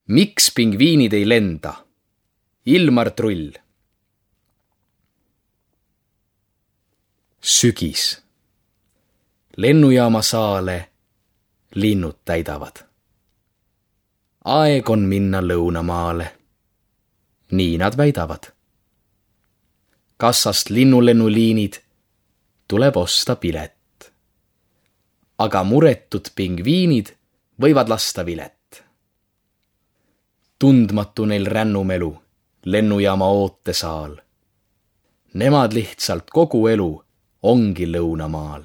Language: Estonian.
Miks pingviinid ei lenda? Ilmar Trull. Sügis. Lennujaama saale linnud täidavad. Aeg on minna lõunamaale. Nii nad väidavad. Kassast linnulennuliinid tuleb osta pilet. Aga muretud pingviinid võivad lasta vilet. Tundmatu neil rännumelu, lennujaama ootesaal. Nemad lihtsalt kogu elu ongi lõunamaal.